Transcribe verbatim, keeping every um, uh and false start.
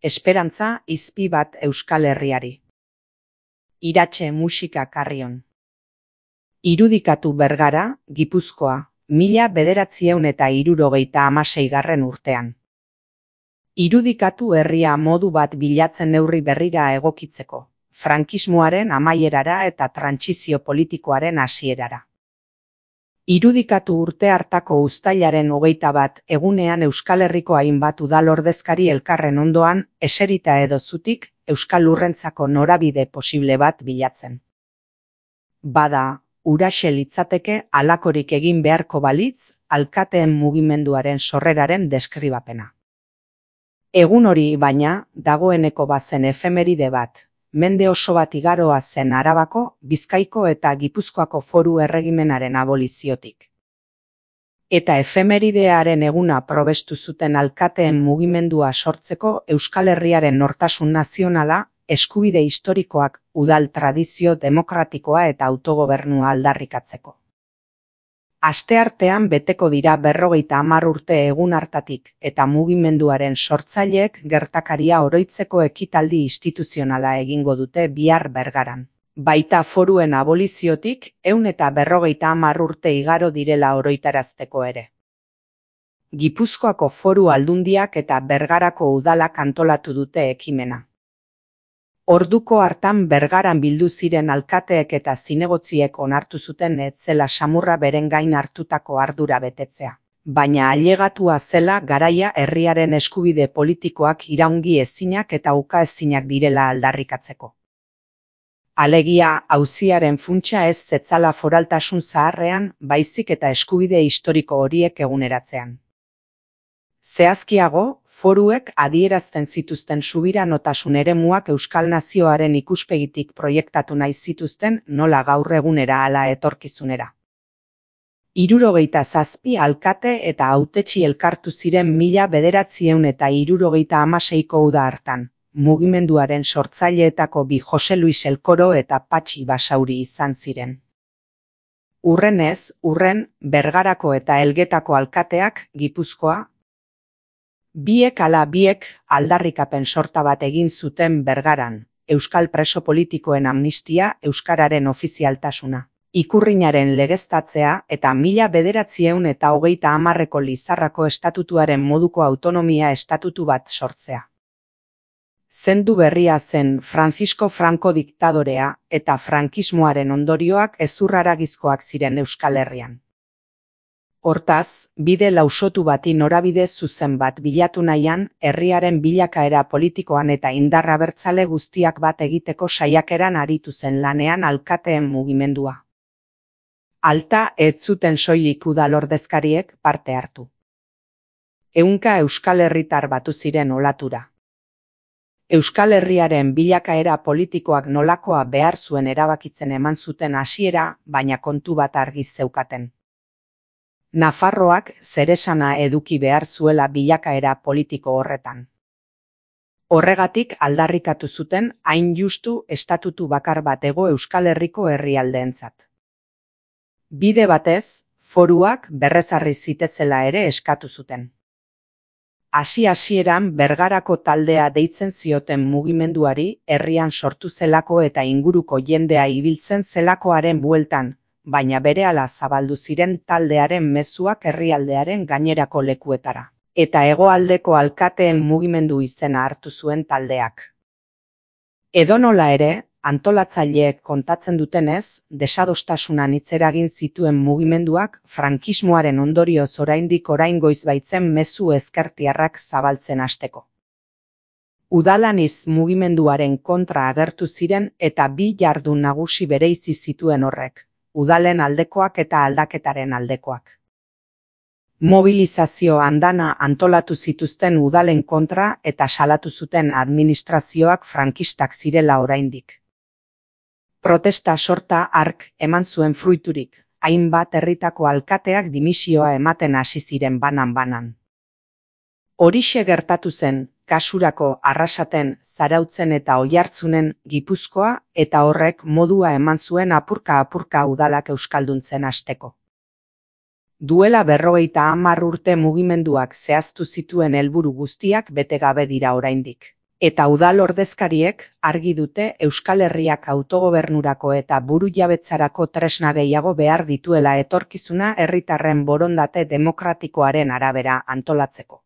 Esperantza izpi bat Euskal Herriari. Iratxe musika Karrion. Irudikatu Bergara, Gipuzkoa, mila bederatziehun eta hirurogeita hamaseigarren urtean. Irudikatu herria modu bat bilatzen neurri berrira egokitzeko, frankismoaren amaierara eta trantsizio politikoaren hasierara. Irudikatu urte hartako uztailaren hogeita bat egunean Euskal Herriko hainbat udal ordezkari elkarren ondoan eserita edo zutik Euskal Lurrentzako norabide posible bat bilatzen. Bada, huraxe litzateke halakorik egin beharko balitz alkateen mugimenduaren sorreraren deskribapena. Egun hori baina, dagoeneko bazen efemeride bat, mende oso bat igaroa zen Arabako, Bizkaiko eta Gipuzkoako foru erregimenaren aboliziotik. Eta efemeridearen eguna probestu zuten alkateen mugimendua sortzeko Euskal Herriaren nortasun nazionala, eskubide historikoak, udal tradizio demokratikoa eta autogobernua aldarrikatzeko. Asteartean beteko dira berrogeita hamar urte egun hartatik eta mugimenduaren sortzaileek gertakaria oroitzeko ekitaldi instituzionala egingo dute bihar Bergaran. Baita foruen aboliziotik ehun eta berrogeita hamar urte igaro direla oroitarazteko ere. Gipuzkoako foru aldundiak eta Bergarako udalak antolatu dute ekimena. Orduko hartan Bergaran bildu ziren alkateek eta zinegotziek onartu zuten ez zela samurra beren gain hartutako ardura betetzea. Baina ailegatua zela garaia herriaren eskubide politikoak iraungi ezinak eta uka ezinak direla aldarrikatzeko. Alegia, auziaren funtsa ez zetzala foraltasun zaharrean, baizik eta eskubide historiko horiek eguneratzean. Zehazkiago, foruek adierazten zituzten subiranotasun eremuak Euskal Nazioaren ikuspegitik proiektatu nahi zituzten nola gaur egunera ala etorkizunera. Hirurogeita zazpi alkate eta hautetsi elkartu ziren mila bederatziehun eta hirurogeita hamaseiko uda hartan, mugimenduaren sortzaileetako bi Jose Luis Elkoro eta Patxi Basauri izan ziren. Urrenez, urren, Bergarako eta Elgetako alkateak, Gipuzkoa, biek ala biek aldarrikapen sorta bat egin zuten Bergaran, Euskal preso politikoen amnistia, euskararen ofizialtasuna, ikurrinaren legeztatzea eta mila bederatziehun eta hogeita hamarreko Lizarrako estatutuaren moduko autonomia estatutu bat sortzea. Zendu berria zen Francisco Franco diktadorea eta frankismoaren ondorioak hezurraragizkoak ziren Euskal Herrian. Hortaz, bide lausotu bati norabide zuzen bat bilatu nahian, herriaren bilakaera politikoan eta indar abertzale guztiak bat egiteko saiakeran aritu zen lanean alkateen mugimendua. Alta ez zuten soilik udal ordezkariek parte hartu. Ehunka Euskal Herritar batu ziren olatura. Euskal Herriaren bilakaera politikoak nolakoa behar zuen erabakitzen eman zuten hasiera, baina kontu bat argi zeukaten. Nafarroak zeresana eduki behar zuela bilakaera politiko horretan. Horregatik aldarrikatu zuten hain justu estatutu bakar bat ego Euskal Herriko herrialdeentzat. Bide batez, foruak berrezarri zitezela ere eskatu zuten. Hasi-hasieran Bergarako taldea deitzen zioten mugimenduari herrian sortu zelako eta inguruko jendea ibiltzen zelakoaren bueltan, baina berehala zabaldu ziren taldearen mezuak herrialdearen gainerako lekuetara, eta hegoaldeko alkateen mugimendu izena hartu zuen taldeak. Edonola ere, antolatzaileek kontatzen dutenez, desadostasunan hitzeragin zituen mugimenduak frankismoaren ondorioz oraindik oraingoiz baitzen mezu ezkertiarrak zabaltzen hasteko. Udalaniz mugimenduaren kontra agertu ziren eta bi jardun nagusi bereizi zituen horrek. Udalen aldekoak eta aldaketaren aldekoak. Mobilizazio andana antolatu zituzten udalen kontra eta salatu zuten administrazioak frankistak zirela oraindik. Protesta sorta hark eman zuen fruiturik, hainbat herritako alkateak dimisioa ematen hasi ziren banan-banan. Horixe gertatu zen, kasurako Arrasaten, Zarautzen eta Oiartzunen, Gipuzkoa eta horrek modua eman zuen apurka-apurka udalak euskalduntzen hasteko. Duela berrogeita hamar urte mugimenduak zehaztu zituen helburu guztiak bete gabe dira oraindik. Eta udal ordezkariek argi dute Euskal Herriak autogobernurako eta burujabetzarako tresna gehiago behar dituela etorkizuna herritarren borondate demokratikoaren arabera antolatzeko.